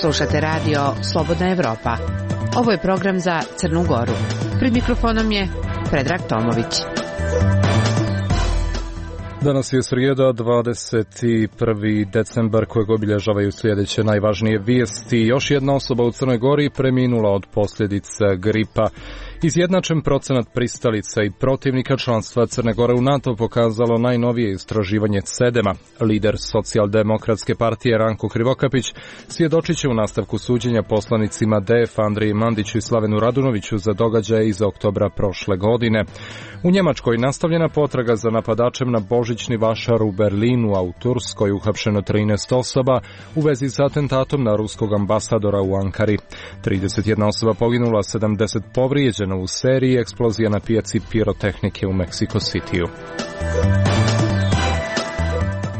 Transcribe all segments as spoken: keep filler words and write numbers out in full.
Slušate radio Slobodna Evropa. Ovo je program za Crnu Goru. Pred mikrofonom je Predrag Tomović. Danas je srijeda, dvadeset prvi decembar, kojeg obilježavaju sljedeće najvažnije vijesti. Još jedna osoba u Crnoj Gori preminula od posljedica gripa. Izjednačen procenat pristalica i protivnika članstva Crne Gore u NATO pokazalo najnovije istraživanje Cedema. Lider Socijaldemokratske partije Ranko Krivokapić svjedočit će u nastavku suđenja poslanicima D F Andriji Mandiću i Slavenu Radunoviću za događaje iz oktobra prošle godine. U Njemačkoj nastavljena potraga za napadačem na božićni vašar u Berlinu, a u Turskoj uhapšeno trinaest osoba u vezi sa atentatom na ruskog ambasadora u Ankari. trideset jedna osoba poginula, sedamdeset povrijeđeno u seriji eksplozija na pijaci pirotehnike u Mexico Cityu.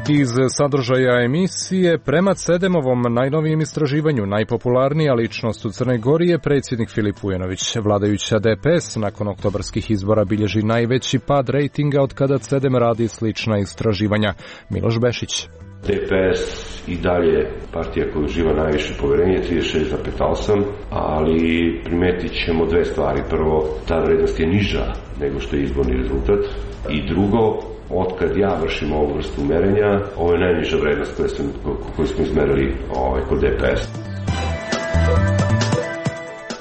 Iz sadržaja emisije, prema Cedemovom najnovijem istraživanju, najpopularnija ličnost u Crnoj Gori je predsjednik Filip Vujanović. Vladajuća D P S nakon oktobarskih izbora bilježi najveći pad rejtinga od kada Cedem radi slična istraživanja. Miloš Bešić. D P S i dalje partija koja uživa najviše povjerenje, trideset šest zarez osam, ali primetit ćemo dve stvari. Prvo, ta vrednost je niža nego što je izborni rezultat. I drugo, otkad ja vršim ovu vrstu merenja, ovo je najniža vrednost koju smo, koju smo izmerili ovaj, kod D P S.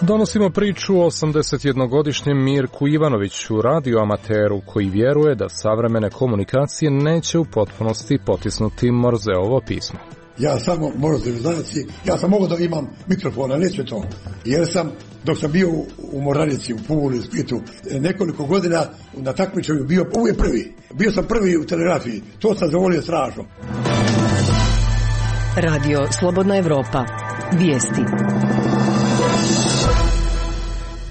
Donosimo priču o osamdesetjednogodišnjem Mirku Ivanoviću, radioamateru koji vjeruje da savremene komunikacije neće u potpunosti potisnuti Morzeovo pismo. Ja samo Morzevi znaci, ja sam mogao da imam mikrofona, neće to. Jer sam, dok sam bio u Moranici, u Puli, u Splitu, nekoliko godina na takmičenju bio uvijek prvi. Bio sam prvi u telegrafiji, to sam zavolio strašno. Radio Slobodna Evropa. Vijesti.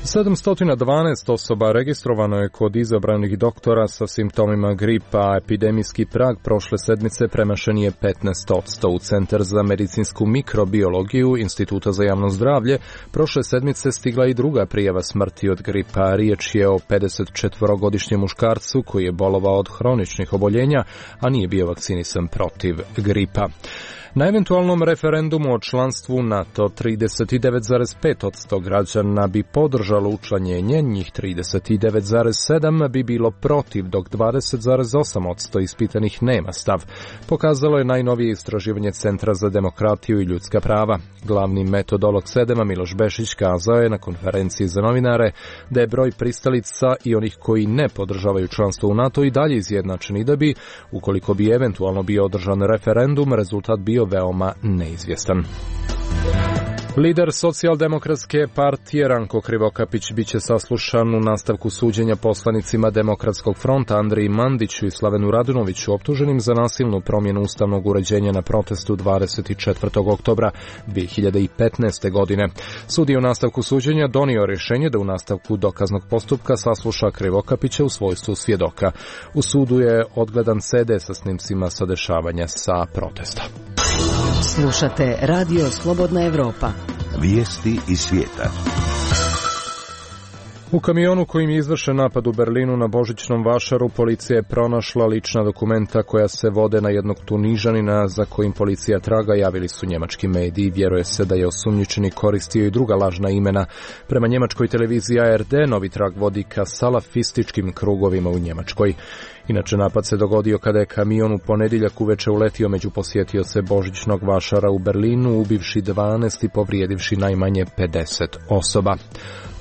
sedamsto dvanaest osoba registrovano je kod izabranih doktora sa simptomima gripa, a epidemijski prag prošle sedmice premašen je petnaest posto. U Centar za medicinsku mikrobiologiju Instituta za javno zdravlje prošle sedmice stigla i druga prijava smrti od gripa. Riječ je o pedesetčetvorogodišnjem muškarcu koji je bolovao od hroničnih oboljenja, a nije bio vakcinisan protiv gripa. Na eventualnom referendumu o članstvu u NATO trideset devet zarez pet posto građana bi podržalo učlanjenje, njih trideset devet zarez sedam posto bi bilo protiv, dok dvadeset zarez osam posto ispitanih nema stav. Pokazalo je najnovije istraživanje Centra za demokratiju i ljudska prava. Glavni metodolog Cedema Miloš Bešić kazao je na konferenciji za novinare da je broj pristalica i onih koji ne podržavaju članstvo u NATO i dalje izjednačen i da bi, ukoliko bi eventualno bio održan referendum, rezultat bio veoma neizvjestan. Lider Socijaldemokratske partije Ranko Krivokapić biće saslušan u nastavku suđenja poslanicima Demokratskog fronta Andriji Mandiću i Slavenu Radunoviću optuženim za nasilnu promjenu ustavnog uređenja na protestu dvadeset četvrtog oktobra dvije hiljade petnaeste. godine. Sud je u nastavku suđenja donio rješenje da u nastavku dokaznog postupka sasluša Krivokapića u svojstvu svjedoka. U sudu je odgledan C D sa snimcima sa dešavanja sa protesta. Slušate Radio Slobodna Evropa. Vijesti iz svijeta. U kamionu kojim je izvršen napad u Berlinu na božićnom vašaru policija je pronašla lična dokumenta koja se vode na jednog Tunižanina za kojim policija traga, javili su njemački mediji. Vjeruje se da je osumnjičeni koristio i druga lažna imena. Prema njemačkoj televiziji A R D novi trag vodi ka salafističkim krugovima u Njemačkoj. Inače, napad se dogodio kada je kamion u ponedjeljak uveče uletio među posjetioce božićnog vašara u Berlinu, ubivši dvanaest i povrijedivši najmanje pedeset osoba.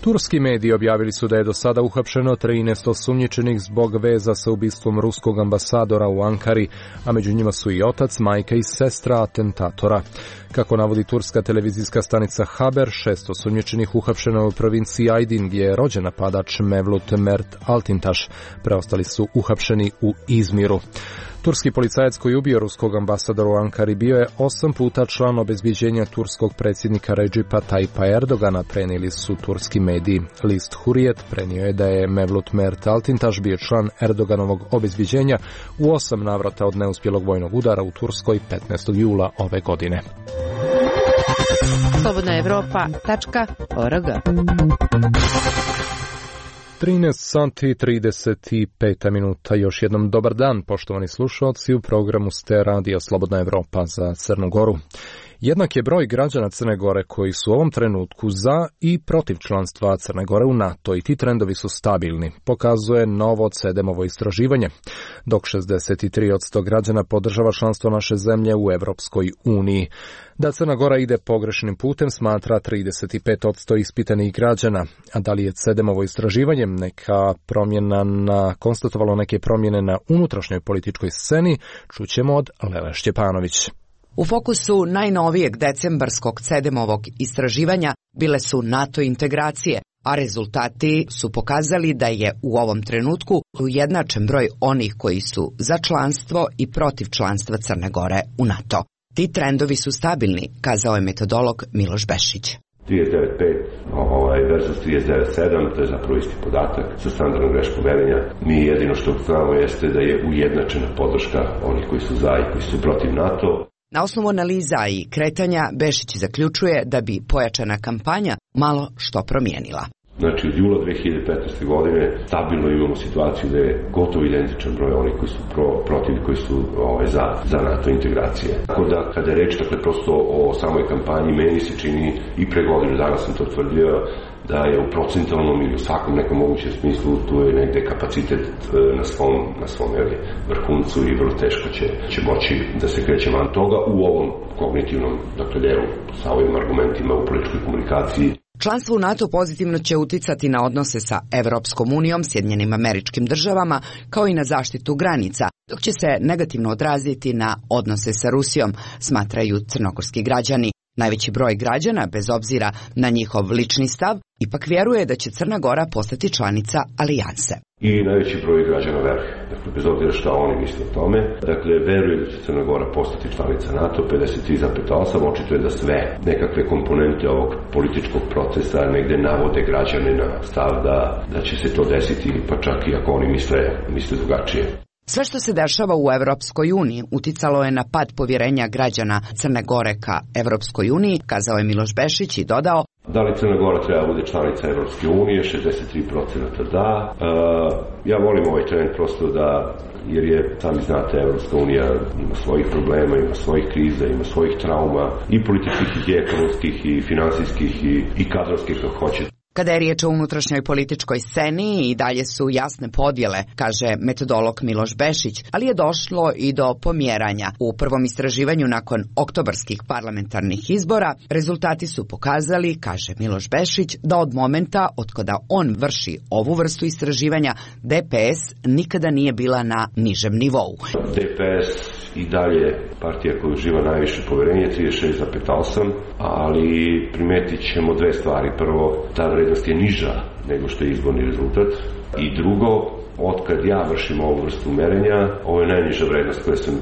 Turski mediji objavili su da je do sada uhapšeno trinaest osumnjičenih zbog veza sa ubistvom ruskog ambasadora u Ankari, a među njima su i otac, majka i sestra atentatora. Kako navodi turska televizijska stanica Haber, šest osumnjičenih uhapšeno u provinciji Aydin gdje je rođen napadač Mevlut Mert Altintaš. Preostali su uhapšeni u Izmiru. Turski policajac koji je ubio ruskog ambasadora u Ankari bio je osam puta član obezbjeđenja turskog predsjednika Recipa Tayyipa Erdogana, prenijeli su turski mediji. List Hurriyet prenio je da je Mevlut Mert Altintaš bio član Erdoganovog obezbjeđenja u osam navrata od neuspjelog vojnog udara u Turskoj petnaestog jula ove godine. slobodna evropa tačka org. trinaest sati i trideset pet minuta. Još jednom dobar dan, poštovani slušalci, u programu ste Radija Slobodna Evropa za Crnu Goru. Jednak je broj građana Crne Gore koji su u ovom trenutku za i protiv članstva Crne Gore u NATO i ti trendovi su stabilni, pokazuje novo C E D E-movo istraživanje, dok šezdeset tri posto građana podržava članstvo naše zemlje u Evropskoj uniji. Da Crna Gora ide pogrešnim putem smatra trideset pet posto ispitanih građana, a da li je C E D E-movo istraživanje neka promjena na, konstatovalo neke promjene na unutrašnjoj političkoj sceni, čućemo od Lele Šćepanović. U fokusu najnovijeg decembarskog C E D E-movog istraživanja bile su NATO integracije, a rezultati su pokazali da je u ovom trenutku ujednačen broj onih koji su za članstvo i protiv članstva Crne Gore u NATO. Ti trendovi su stabilni, kazao je metodolog Miloš Bešić. trideset devet pet ovaj, versus trideset devet sedam, to je zapravo isti podatak sa standardnom greškom merenja. Mi jedino što znamo jeste da je ujednačena podrška onih koji su za i koji su protiv NATO. Na osnovu analiza i kretanja Bešić zaključuje da bi pojačana kampanja malo što promijenila. Znači od jula dve hiljade petnaeste. godine stabilno imamo situaciju da je gotovo identičan broj onih koji su pro, protiv i koji su ovaj, za, za NATO integracije. Tako da kada je reč dakle, prosto o samoj kampanji, meni se čini i pre godinu dana sam to tvrdio da je u procentalnom ili u svakom nekom mogućem smislu tu je negde kapacitet na svom, na svom jeli, vrhuncu i vrlo teško će, će moći da se kreće van toga u ovom kognitivnom dakle, delu sa ovim argumentima u političkoj komunikaciji. Članstvo u NATO pozitivno će uticati na odnose sa Evropskom unijom, Sjedinjenim Američkim Državama, kao i na zaštitu granica, dok će se negativno odraziti na odnose sa Rusijom, smatraju crnogorski građani. Najveći broj građana, bez obzira na njihov lični stav, ipak vjeruje da će Crna Gora postati članica alijanse. I najveći broj građana veruje, dakle, bez obzira šta oni misle o tome, dakle, veruje da će Crna Gora postati članica NATO, pedeset tri zarez osam, očito je da sve nekakve komponente ovog političkog procesa negde navode građane na stav da, da će se to desiti, pa čak i ako oni misle, misle drugačije. Sve što se dešava u Evropskoj uniji uticalo je na pad povjerenja građana Crne Gore ka Evropskoj uniji, kazao je Miloš Bešić i dodao: Da li Crna Gora treba bude članica Evropske unije? šezdeset tri posto da. E, ja volim ovaj trend prosto da, jer je, sami znate, Evropska unija ima svojih problema, ima svojih kriza, ima svojih trauma, i političkih, i ekonomskih, i finansijskih, i, i kadrovskih, kako hoćete. Kada je riječ o unutrašnjoj političkoj sceni, i dalje su jasne podjele, kaže metodolog Miloš Bešić, ali je došlo i do pomjeranja. U prvom istraživanju nakon oktobarskih parlamentarnih izbora rezultati su pokazali, kaže Miloš Bešić, da od momenta od kada on vrši ovu vrstu istraživanja, D P S nikada nije bila na nižem nivou. D P S i dalje partija koja uživa najviše poverenje, trideset šest zarez osam, ali primetit ćemo dve stvari. Prvo, ta vrednost je niža nego što je izborni rezultat. I drugo, otkad ja vršim ovu vrstu merenja, ovo je najniža vrednost koju, sam,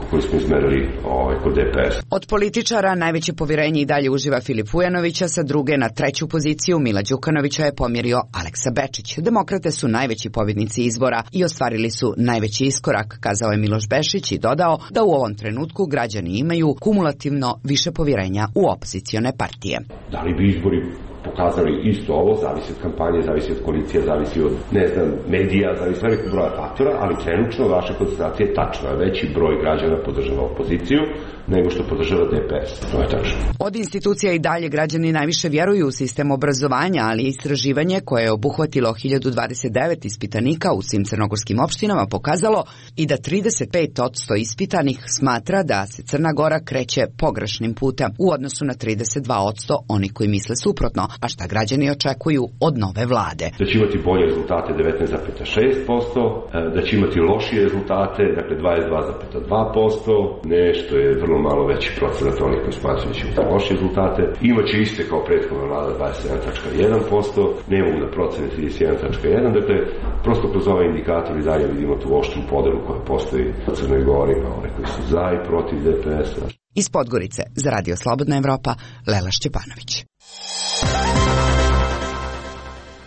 koju smo izmerili ovaj, kod D P S. Od političara najveće povjerenje i dalje uživa Filip Vujanovića, sa druge na treću poziciju Mila Đukanovića je pomjerio Aleksa Bečić. Demokrate su najveći pobjednici izbora i ostvarili su najveći iskorak, kazao je Miloš Bešić i dodao da u ovom trenutku građani imaju kumulativno više povjerenja u opozicione partije. Da li bi izbori pokazali isto ovo, zavisi od kampanje, zavisi od koalicija, zavisi od, ne znam, medija, zavisi od velikog broja faktora, ali trenutno vaša koncentracija je tačna. Veći broj građana podržava opoziciju nego što podržava D P S. To je tačno. Od institucija i dalje građani najviše vjeruju u sistem obrazovanja, ali istraživanje koje je obuhvatilo hiljadu dvadeset devet ispitanika u svim crnogorskim opštinama pokazalo i da trideset pet posto ispitanih smatra da se Crna Gora kreće pogrešnim putem u odnosu na trideset dva posto oni koji misle suprotno, a šta građani očekuju od nove vlade. Da će imati bolje rezultate devetnaest zarez šest posto, da će imati lošije rezultate, dakle dvadeset dva zarez dva posto, nešto je vrlo malo veći procenat onih koji smatruju da će imati lošije rezultate. Imaće iste kao prethodna vlada dvadeset sedam zarez jedan posto, ne mogu da procene trideset jedan zarez jedan, dakle prosto kroz ovaj indikator i dalje vidimo tu oštru podelu koja postoji u Crnoj Gori, na one koji su za i protiv D P S-a. Iz Podgorice za Radio Slobodna Evropa, Lela Šćepanović.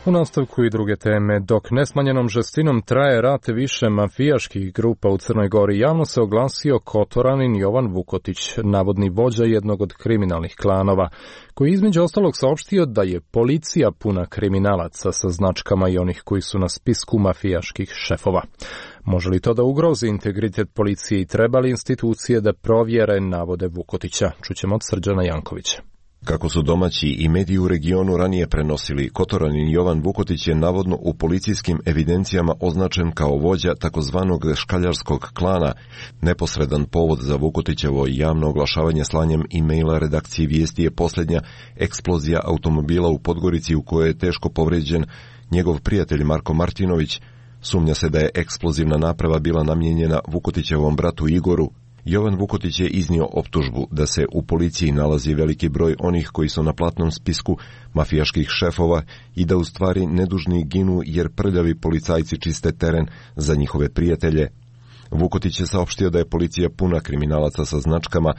U nastavku i druge teme, dok nesmanjenom žestinom traje rat više mafijaških grupa u Crnoj Gori, javno se oglasio Kotoranin Jovan Vukotić, navodni vođa jednog od kriminalnih klanova, koji između ostalog saopštio da je policija puna kriminalaca sa značkama i onih koji su na spisku mafijaških šefova. Može li to da ugrozi integritet policije i treba li institucije da provjere navode Vukotića? Čućemo od Srđana Jankovića. Kako su domaći i mediji u regionu ranije prenosili, Kotoranin Jovan Vukotić je navodno u policijskim evidencijama označen kao vođa takozvanog škaljarskog klana. Neposredan povod za Vukotićevo javno oglašavanje slanjem e-maila redakciji Vijesti je posljednja eksplozija automobila u Podgorici u kojoj je teško povređen njegov prijatelj Marko Martinović. Sumnja se da je eksplozivna naprava bila namijenjena Vukotićevom bratu Igoru. Jovan Vukotić je iznio optužbu da se u policiji nalazi veliki broj onih koji su na platnom spisku mafijaških šefova i da u stvari nedužni ginu jer prljavi policajci čiste teren za njihove prijatelje. Vukotić je saopštio da je policija puna kriminalaca sa značkama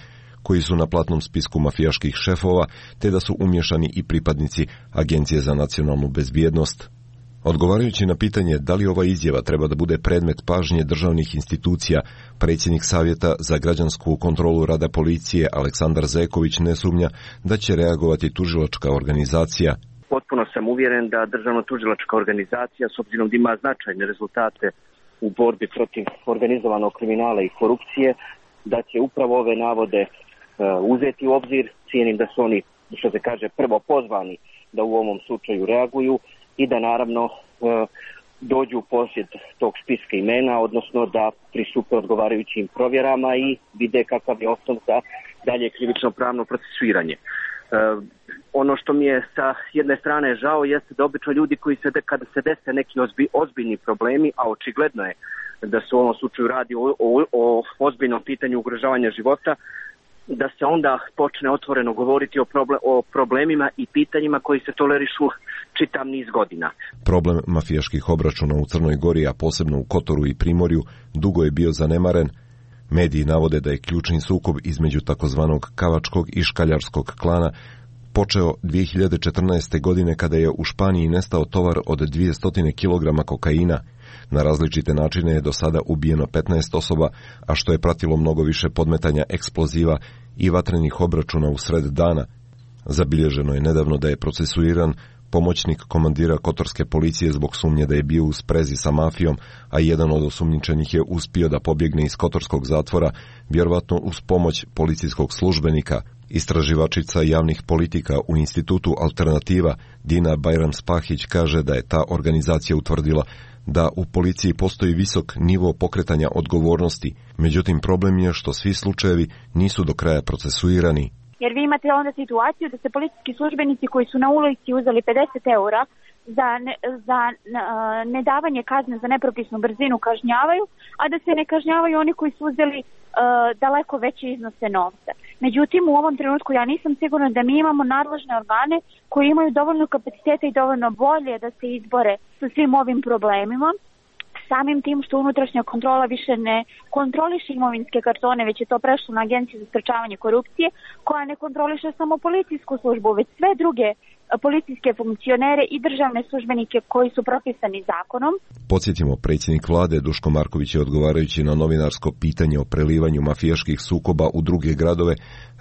koji su na platnom spisku mafijaških šefova, te da su umješani i pripadnici Agencije za nacionalnu bezbjednost. Odgovarajući na pitanje da li ova izjava treba da bude predmet pažnje državnih institucija, predsjednik Savjeta za građansku kontrolu rada policije Aleksandar Zeković ne sumnja da će reagovati tužilačka organizacija. Potpuno sam uvjeren da državno-tužilačka organizacija, s obzirom da ima značajne rezultate u borbi protiv organizovanog kriminala i korupcije, da će upravo ove navode uh, uzeti u obzir. Cijenim da su oni, što se kaže, prvo pozvani da u ovom slučaju reaguju i da naravno e, dođu u posjed tog spiska imena, odnosno da pristupe odgovarajućim provjerama i vide kakav je osnov za dalje krivično pravno procesuiranje. E, ono što mi je sa jedne strane žao jeste da obično ljudi koji se, kada se dese neki ozbi, ozbiljni problemi, a očigledno je da se u ovom slučaju radi o, o, o ozbiljnom pitanju ugrožavanja života, da se onda počne otvoreno govoriti o, problem, o problemima i pitanjima koji se tolerišu čitav niz godina. Problem mafijaških obračuna u Crnoj Gori, a posebno u Kotoru i Primorju, dugo je bio zanemaren. Mediji navode da je ključni sukob između takozvanog kavačkog i škaljarskog klana počeo dvije hiljade četrnaeste. godine kada je u Španiji nestao tovar od dvjesto kilograma kokaina. Na različite načine je do sada ubijeno petnaest osoba, a što je pratilo mnogo više podmetanja eksploziva i vatrenih obračuna u sred dana. Zabilježeno je nedavno da je procesuiran pomoćnik komandira kotorske policije zbog sumnje da je bio u sprezi sa mafijom, a jedan od osumnjičenih je uspio da pobjegne iz kotorskog zatvora, vjerovatno uz pomoć policijskog službenika. Istraživačica javnih politika u institutu Alternativa Dina Bajram-Spahić kaže da je ta organizacija utvrdila da u policiji postoji visok nivo pokretanja odgovornosti, međutim problem je što svi slučajevi nisu do kraja procesuirani. Jer vi imate onda situaciju da se policijski službenici koji su na ulici uzeli pedeset eura za, ne, za nedavanje kazne za nepropisnu brzinu kažnjavaju, a da se ne kažnjavaju oni koji su uzeli uh, daleko veće iznose novca. Međutim, u ovom trenutku ja nisam sigurna da mi imamo nadležne organe koji imaju dovoljno kapaciteta i dovoljno volje da se izbore sa svim ovim problemima. Samim tim što unutrašnja kontrola više ne kontroliše imovinske kartone, već je to prešlo na Agenciju za sprečavanje korupcije, koja ne kontroliše samo policijsku službu, već sve druge policijske funkcionere i državne službenike koji su propisani zakonom. Podsjetimo, predsjednik vlade Duško Marković je odgovarajući na novinarsko pitanje o prelivanju mafijaških sukoba u druge gradove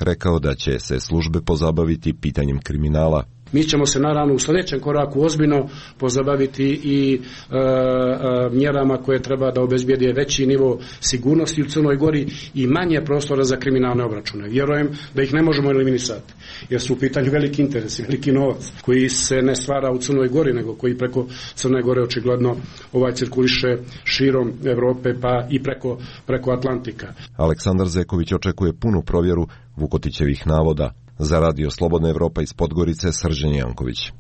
rekao da će se službe pozabaviti pitanjem kriminala. Mi ćemo se naravno u sljedećem koraku ozbiljno pozabaviti i e, e, mjerama koje treba da obezbijede veći nivo sigurnosti u Crnoj Gori i manje prostora za kriminalne obračune. Vjerujem da ih ne možemo eliminisati, jer su u pitanju veliki interesi, veliki novac koji se ne stvara u Crnoj Gori, nego koji preko Crne Gore očigledno ovaj cirkuliše širom Europe pa i preko, preko Atlantika. Aleksandar Zeković očekuje punu provjeru Vukotićevih navoda. Za Radio Slobodna Evropa iz Podgorice, Srđan Janković.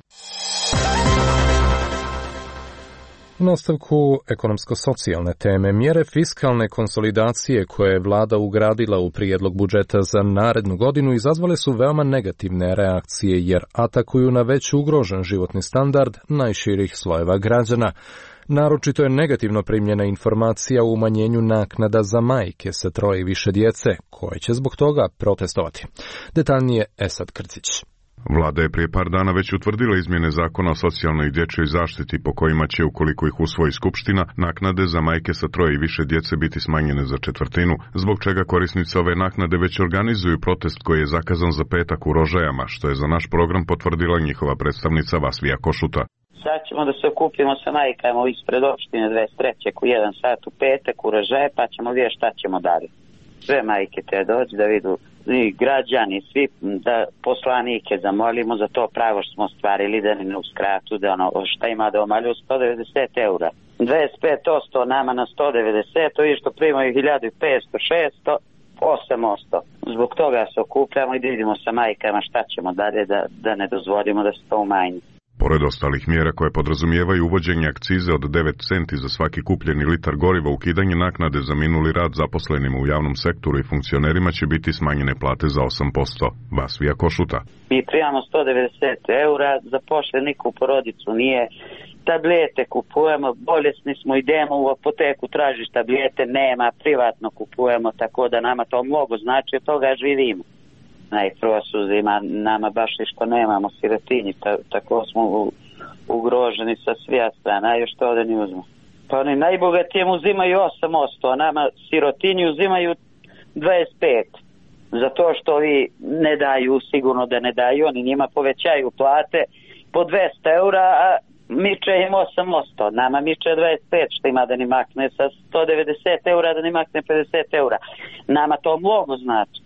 U nastavku ekonomsko-socijalne teme, mjere fiskalne konsolidacije koje je vlada ugradila u prijedlog budžeta za narednu godinu izazvale su veoma negativne reakcije jer atakuju na već ugrožen životni standard najširih slojeva građana. Naročito je negativno primljena informacija o umanjenju naknada za majke sa troje i više djece, koje će zbog toga protestovati. Detaljnije Esad Krcić. Vlada je prije par dana već utvrdila izmjene zakona o socijalnoj i dječjoj zaštiti po kojima će, ukoliko ih usvoji skupština, naknade za majke sa troje i više djece biti smanjene za četvrtinu, zbog čega korisnici ove naknade već organizuju protest koji je zakazan za petak u Rožajama, što je za naš program potvrdila njihova predstavnica Vasvija Košuta. Sad ćemo da se okupimo sa majkama ispred opštine dvadeset trećeg u jedan sat u petak u Ražaje, pa ćemo vidjeti šta ćemo dalje. Sve majke te dođu da vidu, i građani, svi, da poslanike zamolimo za to pravo što smo ostvarili, da ne uskratu, da ono šta ima da omalju sto devedeset eura. dvadeset pet posto nama na sto devedeset, to je što primaju hiljadu petsto, šesto, osam posto. Zbog toga se okupljamo i da vidimo sa majkama šta ćemo dalje da, da ne dozvolimo da se to umanji. Pored ostalih mjera koje podrazumijevaju uvođenje akcize od devet centi za svaki kupljeni litar goriva, ukidanje naknade za minuli rad zaposlenima u javnom sektoru i funkcionerima će biti smanjene plate za osam posto. Vasvija Košuta. Mi primamo sto devedeset eura, zapošljenik u porodicu nije, tablete kupujemo, bolesni smo, idemo u apoteku, tražiš tablete, nema, privatno kupujemo, tako da nama to mnogo znači, od toga živimo. Najprvo su zima, nama baš što nemamo sirotinji, ta, tako smo u, ugroženi sa svija strana, a još to ovdje ne uzmu. Pa oni najbogatijem uzimaju osam posto, a nama sirotinji uzimaju dvadeset pet. Zato što vi ne daju, sigurno da ne daju, oni njima povećaju plate po dvesta eura, a miče im osam posto, nama miče dvadeset pet, što ima da ni makne sa sto devedeset eura, da ni makne pedeset eura. Nama to mnogo znači.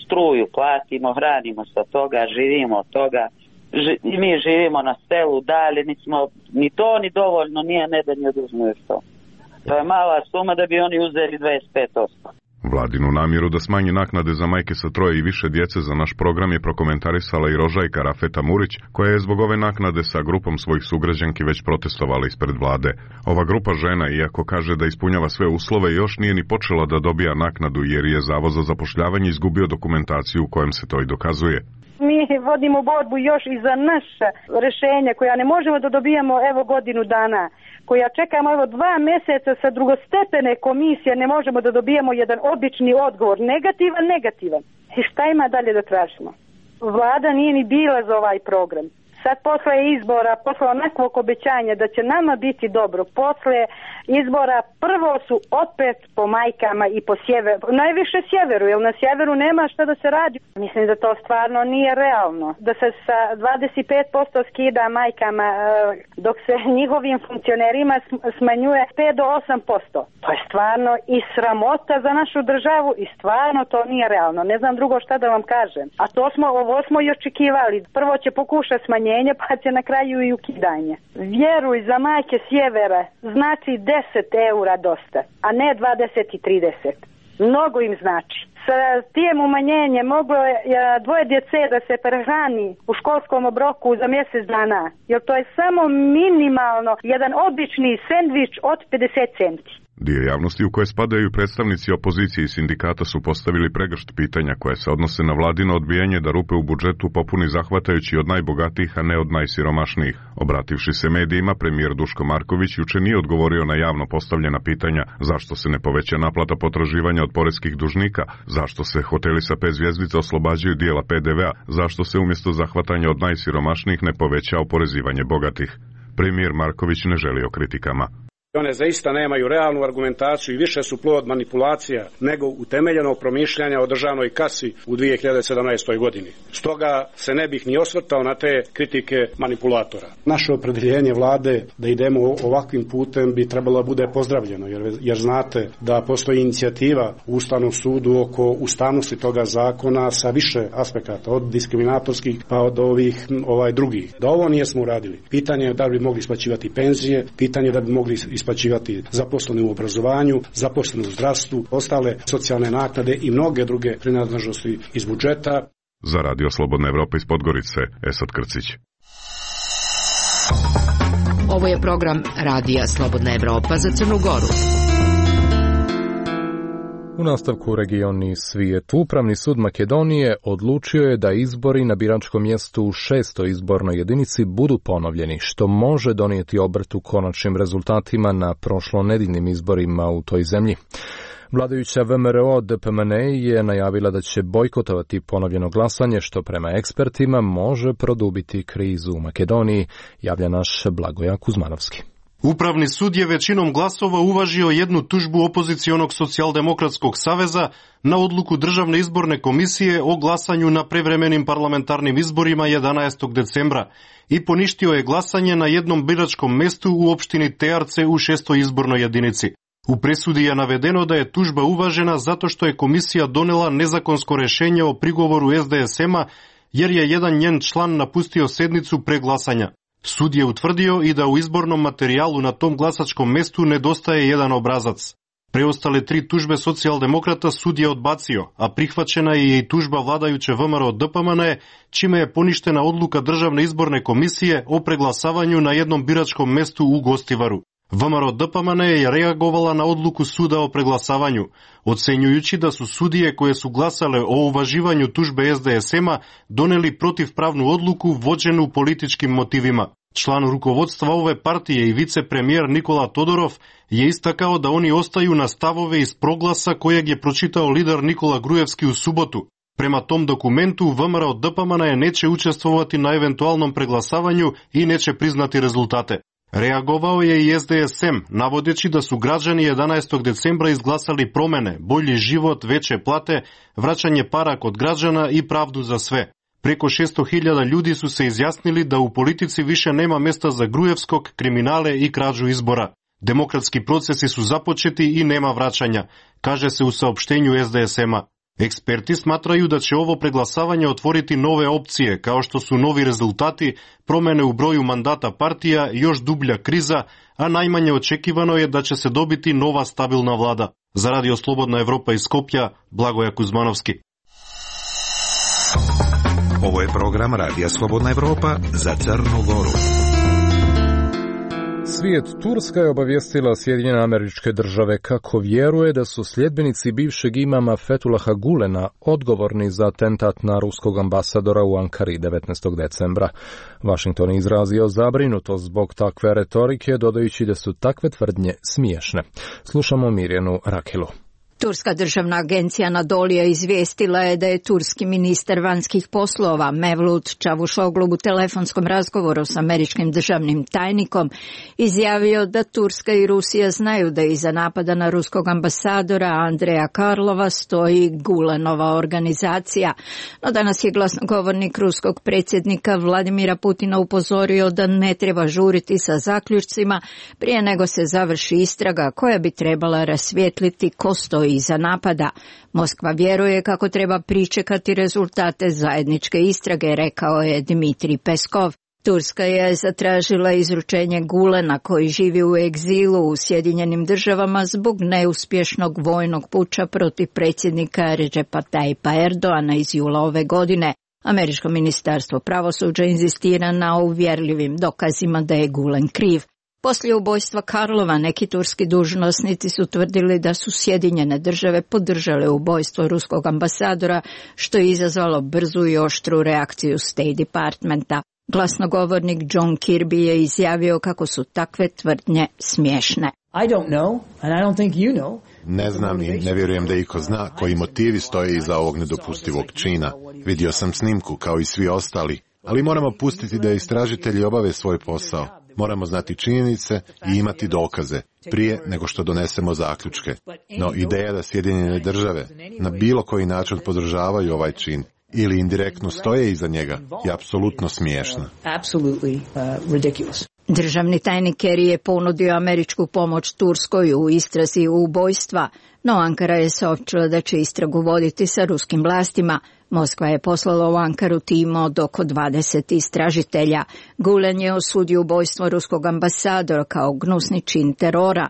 Struju platimo, hranimo se od toga, živimo od toga. Ži, i mi živimo na selu dalje, nismo ni to ni dovoljno, nije ne da ni oduzmu što. To je mala suma da bi oni uzeli dvadeset pet posto. Vladinu namjeru da smanji naknade za majke sa troje i više djece za naš program je prokomentarisala i Rožajka Rafeta Murić, koja je zbog ove naknade sa grupom svojih sugrađanki već protestovala ispred vlade. Ova grupa žena, iako kaže da ispunjava sve uslove, još nije ni počela da dobija naknadu jer je Zavod za zapošljavanje izgubio dokumentaciju u kojem se to i dokazuje. Mi vodimo borbu još i za naša rješenja koja ne možemo da dobijemo evo godinu dana, koja čekamo evo dva mjeseca sa drugostepene komisije, ne možemo da dobijemo jedan obični odgovor, negativan, negativan. I šta ima dalje da tražimo? Vlada nije ni bila za ovaj program. Sad posle izbora, posle onakvog obećanja da će nama biti dobro, posle izbora prvo su opet po majkama i po sjeveru, najviše sjeveru, jer na sjeveru nema šta da se radi. Mislim da to stvarno nije realno, da se sa dvadeset pet posto skida majkama, dok se njihovim funkcionerima smanjuje pet do osam posto. To je stvarno i sramota za našu državu i stvarno to nije realno. Ne znam drugo šta da vam kažem. A to smo, ovo smo i očekivali. Prvo će pokušati smanjenje, pa će na kraju i ukidanje. Vjeruj, za majke sjevera znači deset eura dosta, a ne dvadeset i trideset. Mnogo im znači. Sa tijem umanjenjem moglo je dvoje djece da se prehrani u školskom obroku za mjesec dana, jer to je samo minimalno jedan obični sendvič od pedeset centi. Dio javnosti u koje spadaju predstavnici opozicije i sindikata su postavili pregršt pitanja koje se odnose na vladino odbijanje da rupe u budžetu popuni zahvatajući od najbogatijih, a ne od najsiromašnijih. Obrativši se medijima, premijer Duško Marković juče nije odgovorio na javno postavljena pitanja zašto se ne poveća naplata potraživanja od poreskih dužnika, zašto se hoteli sa pet zvjezdica oslobađaju dijela pe de vea, zašto se umjesto zahvatanja od najsiromašnijih ne poveća oporezivanje bogatih. Premijer Marković ne želi o kritikama. One zaista nemaju realnu argumentaciju i više su plod manipulacija nego utemeljenog promišljanja o državnoj kasi u dvije hiljade sedamnaestoj godini. Stoga se ne bih ni osvrtao na te kritike manipulatora. Naše opredjeljenje vlade da idemo ovakvim putem bi trebalo da bude pozdravljeno, jer, jer znate da postoji inicijativa u Ustavnom sudu oko ustavnosti toga zakona sa više aspekata, od diskriminatorskih pa od ovih ovaj drugih. Da ovo nijesmo uradili. Pitanje je da bi mogli isplaćivati penzije, pitanje je da bi mogli isplaćivati zaposleni u obrazovanju, zaposleni u zdravstvu, ostale socijalne naknade i mnoge druge prinadležnosti iz budžeta. Za Radio Slobodna Evropa iz Podgorice, Esad Krcić. Ovo je program Radija Slobodna Evropa za Crnu Goru. U nastavku regioni svijet, Upravni sud Makedonije odlučio je da izbori na biračkom mjestu u šestoj izbornoj jedinici budu ponovljeni, što može donijeti obrt u konačnim rezultatima na prošlonedjeljnim izborima u toj zemlji. Vladajuća ve em er o de pe em en e je najavila da će bojkotovati ponovljeno glasanje, što prema ekspertima može produbiti krizu u Makedoniji, javlja naš Blagoja Kuzmanovski. Upravni sud je većinom glasova uvažio jednu tužbu opozicionog socijaldemokratskog saveza na odluku Državne izborne komisije o glasanju na prevremenim parlamentarnim izborima jedanaestog decembra i poništio je glasanje na jednom biračkom mestu u opštini Tejarce u šestoj izbornoj jedinici. U presudi je navedeno da je tužba uvažena zato što je komisija donela nezakonsko rešenje o prigovoru es de es ema jer je jedan njen član napustio sednicu pre glasanja. Sud je utvrdio i da u izbornom materijalu na tom glasačkom mestu nedostaje jedan obrazac. Preostale tri tužbe socijaldemokrata sud je odbacio, a prihvaćena je i tužba vladajuće ve em er o de pe em en, čime je poništena odluka Državne izborne komisije o preglasavanju na jednom biračkom mestu u Gostivaru. ve em er o de pe em en je reagovala na odluku suda o preglasavanju, ocenjujući da su sudije koje su glasale o uvaživanju tužbe es de es ema doneli protivpravnu odluku vođenu političkim motivima. Član rukovodstva ove partije i vicepremijer Nikola Todorov je istakao da oni ostaju na stavove iz proglasa kojeg je pročitao lider Nikola Grujevski u subotu. Prema tom dokumentu ve em er o de pe em en neće učestvovati na eventualnom preglasavanju i neće priznati rezultate. Reagovao je i es de es em, navodeći da su građani jedanaestog decembra izglasali promene, bolji život, veće plate, vraćanje para kod građana i pravdu za sve. Preko šesto hiljada ljudi su se izjasnili da u politici više nema mesta za Grujevskog, kriminale i krađu izbora. Demokratski procesi su započeti i nema vraćanja, kaže se u saopštenju es de es ema. Eksperti smatraju da će ovo preglasavanje otvoriti nove opcije, kao što su novi rezultati, promene u broju mandata partija, još dublja kriza, a najmanje očekivano je da će se dobiti nova stabilna vlada. Za Radio Slobodna Evropa iz Skopja, Blagoja Kuzmanovski. Ovo je program Radija Slobodna Evropa za Crnu Goru. Svijet Turska je obavijestila Sjedinjene Američke Države kako vjeruje da su sljedbenici bivšeg imama Fethullaha Gulena odgovorni za atentat na ruskog ambasadora u Ankari devetnaestog decembra. Washington je izrazio zabrinutost zbog takve retorike, dodajući da su takve tvrdnje smiješne. Slušamo Mirjanu Rakilu. Turska državna agencija Anadolija izvijestila je da je turski ministar vanjskih poslova Mevlut Čavuşoglu u telefonskom razgovoru s američkim državnim tajnikom izjavio da Turska i Rusija znaju da iza napada na ruskog ambasadora Andreja Karlova stoji Gulenova organizacija. No danas je glasnogovornik ruskog predsjednika Vladimira Putina upozorio da ne treba žuriti sa zaključcima prije nego se završi istraga koja bi trebala rasvijetliti ko stoji iza napada. Moskva vjeruje kako treba pričekati rezultate zajedničke istrage, rekao je Dmitrij Peskov. Turska je zatražila izručenje Gulena koji živi u egzilu u Sjedinjenim Državama zbog neuspješnog vojnog puča protiv predsjednika Recepa Tayyipa Erdoana iz jula ove godine. Američko ministarstvo pravosuđa inzistira na uvjerljivim dokazima da je Gulen kriv. Poslije ubojstva Karlova neki turski dužnosnici su tvrdili da su Sjedinjene Države podržale ubojstvo ruskog ambasadora, što je izazvalo brzu i oštru reakciju State Departmenta. Glasnogovornik John Kirby je izjavio kako su takve tvrdnje smiješne. I don't know, and I don't think you know. Ne znam i ne vjerujem da iko zna koji motivi stoje iza ovog nedopustivog čina. Vidio sam snimku kao i svi ostali, ali moramo pustiti da istražitelji obave svoj posao. Moramo znati činjenice i imati dokaze prije nego što donesemo zaključke. No ideja da Sjedinjene Države na bilo koji način podržavaju ovaj čin ili indirektno stoje iza njega je apsolutno smiješna. Državni tajnik Kerry je ponudio američku pomoć Turskoj u istrazi ubojstva, no Ankara je saopćila da će istragu voditi sa ruskim vlastima. Moskva je poslala u Ankaru tim od oko dvadeset istražitelja. Gulen je osudio ubojstvo ruskog ambasadora kao gnusni čin terora.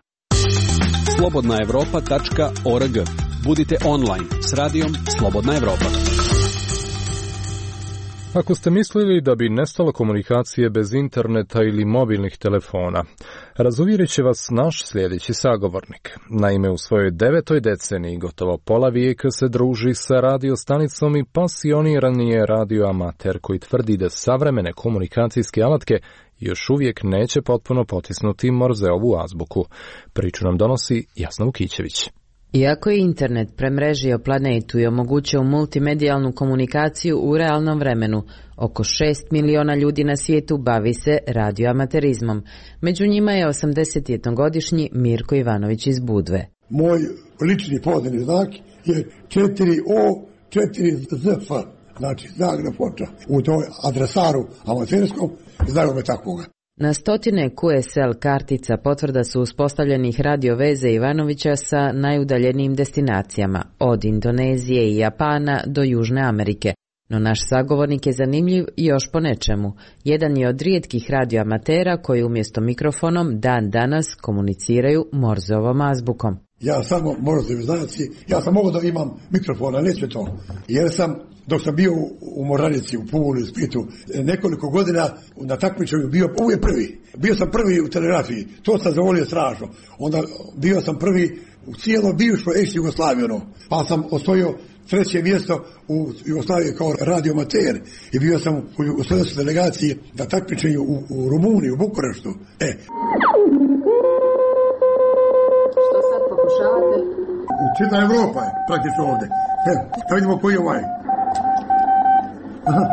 slobodna evropa tačka org. Budite online s radijom Slobodna Evropa. Ako ste mislili da bi nestalo komunikacije bez interneta ili mobilnih telefona, razuvjerit će vas naš sljedeći sagovornik. Naime, u svojoj devetoj deceniji gotovo pola vijeka se druži sa radiostanicom i pasioniran je radioamater koji tvrdi da savremene komunikacijske alatke još uvijek neće potpuno potisnuti Morzeovu azbuku. Priču nam donosi Jasna Vukićević. Iako je internet premrežio planetu i omogućio multimedijalnu komunikaciju u realnom vremenu, oko šest miliona ljudi na svijetu bavi se radioamaterizmom. Među njima je osamdesetjednogodišnji Mirko Ivanović iz Budve. Moj lični pozivni znak je četiri O četiri Z F, znači Zagreb Foča. U toj adresaru amaterskom znaju me takvoga. Na stotine Q S L kartica potvrda su uspostavljenih radio veze Ivanovića sa najudaljenijim destinacijama, od Indonezije i Japana do Južne Amerike. No naš sagovornik je zanimljiv još po nečemu. Jedan je od rijetkih radioamatera koji umjesto mikrofonom dan danas komuniciraju Morzeovom azbukom. Ja samo Morzeovi znaci, ja sam mogao da imam mikrofona, neće to. Jer sam, dok sam bio u Moranici, u Puli, u Splitu, nekoliko godina na takmičenju bio uvijek prvi. Bio sam prvi u telegrafiji, to sam zavolio strašno. Onda bio sam prvi u cijelo bivšoj ex-Jugoslaviju, pa sam osvojio treće mjesto u Jugoslaviji kao radioamater i bio sam u jugoslovenskoj delegaciji na takmičenju u, u Rumuniji, u Bukureštu. E. Što sad pokušavate? Čitava Evropa je praktično ovdje. E, da vidimo koji je ovaj. Aha.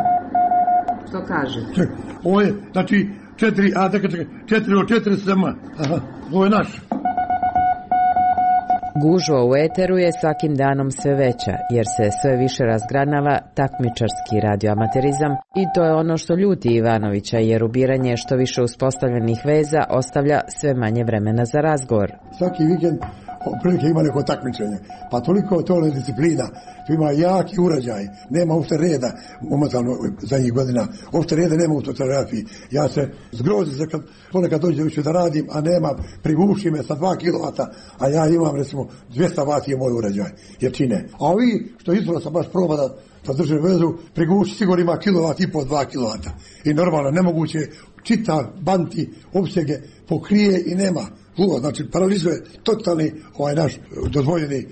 Što kaže? Ček, ovo je, znači, četiri, a čekaj, čekaj, četiri o četiri sama. Aha, ovo je naš. Gužva u eteru je svakim danom sve veća, jer se sve više razgranava takmičarski radioamaterizam i to je ono što ljuti Ivanovića, jer ubiranje što više uspostavljenih veza ostavlja sve manje vremena za razgovor. Svaki vikend prilike ima neko takmičenje, pa toliko to je disciplina, tu ima jaki urađaj, nema uopšte reda, momentalno zadnjih godina, uopšte reda nema u telegrafiji. Ja se zgrozim se kad ponekad dođe više da radim, a nema, priguši me sa dva kilovata, a ja imam recimo dvjesto vati je moj urađaj, jer čine. A ovi što izvora sam baš proba da, da drže vezu, priguši sigurno ima kilovat i po dva kilovata. I normalno, nemoguće čita banti, opsege, pokrije i nema. Uvo, znači paralizuje totalni ovaj naš dozvoljeni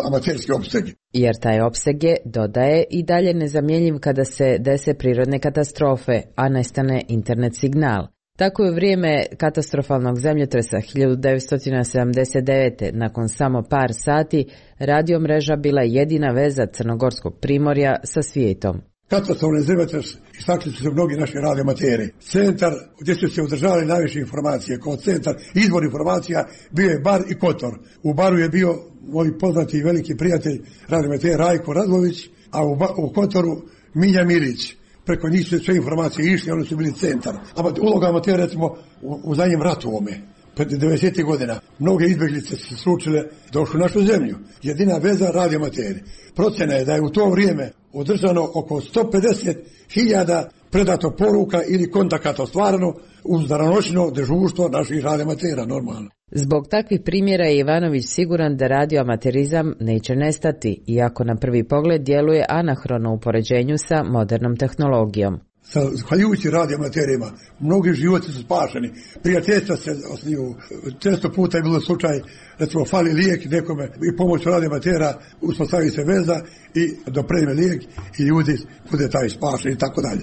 amaterski opseg. Jer taj opseg je, dodaje, i dalje nezamjenjiv kada se dese prirodne katastrofe, a nestane internet signal. Tako je u vrijeme katastrofalnog zemljotresa hiljadu devetsto sedamdeset devete. nakon samo par sati, radiomreža bila jedina veza Crnogorskog primorja sa svijetom. Katastrofalni zemljotres istakli su se mnogi naši radioamateri. Centar gdje su se održavali najviše informacije, kao centar izvor informacija bio je Bar i Kotor. U Baru je bio moj poznati i veliki prijatelj radioamater Rajko Radlović, a u, ba, u Kotoru Milja Milić. Preko njih su sve informacije išli, oni su bili centar. A uloga amatera recimo u, u zadnjem ratu ome. Pred devedesetih godina mnoge izbjeglice se slučile, došli u našu zemlju. Jedina veza radioamateri. Procjena je da je u to vrijeme održano oko sto pedeset hiljada predato poruka ili kontakata ostvareno uz danonoćno dežurstvo naših radioamatera normalno. Zbog takvih primjera je Ivanović siguran da radioamaterizam neće nestati, iako na prvi pogled djeluje anahrono u poređenju sa modernom tehnologijom. Zahvaljujući radioamaterima, mnogi životi su spašeni, prijateljstva se osniju, često puta je bilo slučaj, recimo fali lijek nekome i pomoću radioamatera uspostavi se veza i dopreme lijek i ljudi bude taj spašen i tako dalje.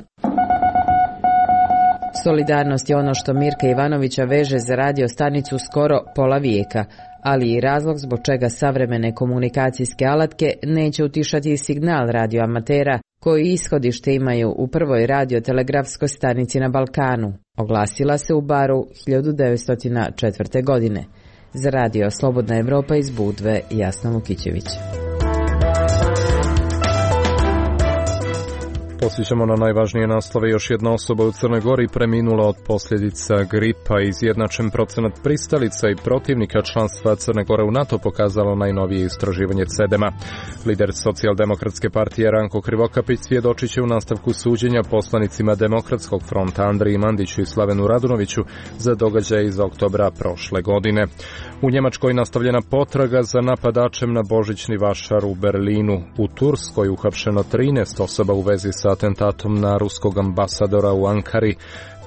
Solidarnost je ono što Mirka Ivanovića veže za radio stanicu skoro pola vijeka, ali i razlog zbog čega savremene komunikacijske alatke neće utišati signal radioamatera koji ishodište imaju u prvoj radiotelegrafskoj stanici na Balkanu. Oglasila se u Baru hiljadu devetsto četvrte. godine. Za radio Slobodna Evropa iz Budve, Jasna Lukićević. Posjećamo na najvažnije naslove. Još jedna osoba u Crnoj Gori preminula od posljedica gripa. Izjednačen procenat pristalica i protivnika članstva Crne Gore u NATO pokazalo najnovije istraživanje Cedema. Lider Socijaldemokratske partije Ranko Krivokapić svjedočit će u nastavku suđenja poslanicima Demokratskog fronta Andriji Mandiću i Slavenu Radunoviću za događaje iz oktobra prošle godine. U Njemačkoj nastavljena potraga za napadačem na božićni vašar u Berlinu. U Turskoj uhapšeno trinaest osoba u vezi sa atentatom na ruskog ambasadora u Ankari.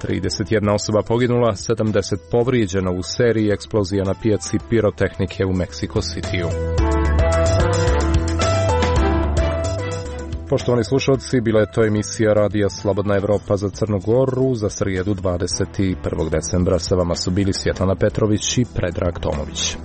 trideset jedna osoba poginula, sedamdeset povrijeđeno u seriji eksplozija na pijaci pirotehnike u Mexico Cityu. Poštovani slušalci, bila je to emisija Radija Slobodna Evropa za Crnu Goru za srijedu dvadeset prvog decembra. Sa vama su bili Svjetlana Petrović i Predrag Tomović.